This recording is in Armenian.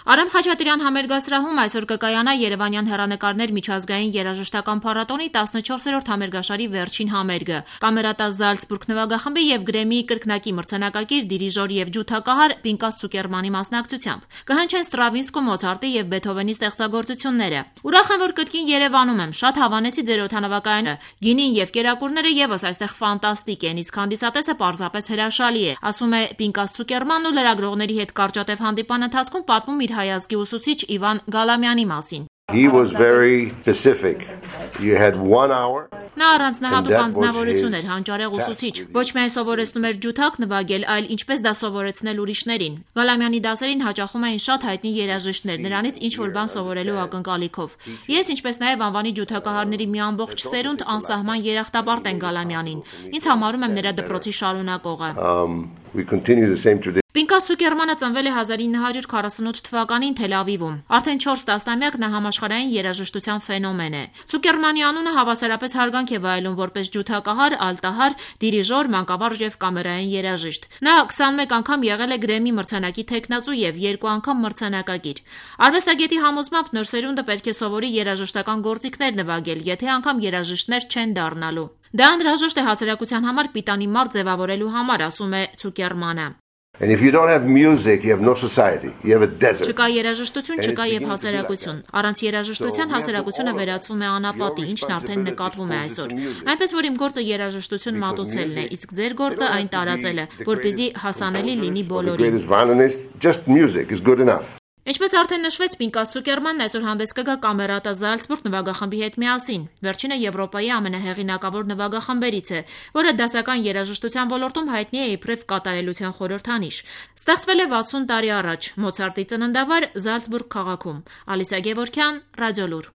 Արամ Խաչատրյան համերգասրահում այսօր կկայանա Երևանյան հեռանկարներ միջազգային երաժշտական փառատոնի 14-րդ համերգաշարի վերջին համերգը։ Կամերատա Զալցբուրգ նվագախմբի եւ Գրեմմիի կրկնակի մրցանակակիր դիրիժոր եւ ջութակահար Պինկաս Ցուկերմանի մասնակցությամբ կհնչեն Ստրավինսկու, Մոցարտի եւ Բեթհովենի ստեղծագործությունները։ Ուրախ եմ, որ կրկին Երևանում եմ, շատ հավանեցի ձեր օդանավակայանը, գինին եւ կերակուրները եւս այստեղ ֆանտաստիկ են, իսկ հանդիսատեսը պարզապես հրաշալի է, ասում է Պինկաս Ցուկերմանն ու լրագրողների հետ կարճատև հանդիպան ընթացքում պատմում իր հայազգի ուսուցիչ Իվան Գալամյանի մասին։ He was very specific. You had 1 hour. Նա առանձնահատուկ անձնավորություն էր, հանճարեղ ուսուցիչ։ Ոչ միայն սովորեցնում էր ջութակ նվագել, այլ ինչպես դա սովորեցնել ուրիշներին։ Գալամյանի դասերին հաճախում էին շատ հայտնի երաժիշտներ, նրանից ինչ-որ բան սովորելու ակնկալիքով։ Ես, ինչպես նաև անվանի ջութակահարների մի ամբողջ սերունդ անսահման երախտապարտ են Գալամյանին։ Ինձ համարում եմ նրա դպրոցի շարունակողը։ We continue the same tradition. Պինկաս Ցուկերմանը ծնվել է 1948 թվականին Թել Ավիվում։ Արդեն 4 տասնամյակ նա համաշխարհային երաժշտության ֆենոմեն է։ Ցուկերմանի անունը հավասարապես հարգանք է վայելում որպես ջութակահար, ալտահար, դիրիժոր, մանկավարժ եւ կամերային երաժիշտ։ Նա 21 անգամ եղել է Գրեմմի մրցանակի թեկնածու եւ 2 անգամ մրցանակակիր։ Արվեստագետի համոզմամբ նոր սերունդը պետք է սովորի երաժշտական գործիքներ նվագել, եթե անգամ երաժիշտներ չեն դառնալու։ Դա անհրաժեշտ է հասարակության համար պիտանի մարդ ձևավորելու համար, ասում է Ցուկերմանը։ And if you don't have music, you have no society. You have a desert. Չկա երաժշտություն, չկա եւ հասարակություն։ Առանց երաժշտության հասարակությունը վերածվում է անապատի, ինչն արդեն նկատվում է այսօր։ Այնպես որ իմ գործը երաժշտություն մատուցելն է, իսկ ձեր գործը այն տարածելը, որպեսզի հասանելի լինի բոլորին։ Just music is good enough. Ինչպես արդեն նշվեց, Պինկաս Ցուկերմանն այսօր հանդես կգա Կամերատա Զալցբուրգ նվագախմբի հետ միասին։ Վերջինը Եվրոպայի ամենահեղինակավոր նվագախմբերից է, որը դասական երաժշտության ոլորտում հայտնի է իբրև կատարելության խորհրդանիշ։ Ստեղծվել է 60 տարի առաջ Մոցարտի ծննդավայր Զալցբուրգ քաղաքում։ Ալիսա Գևորգյան, Ռադիոլուր։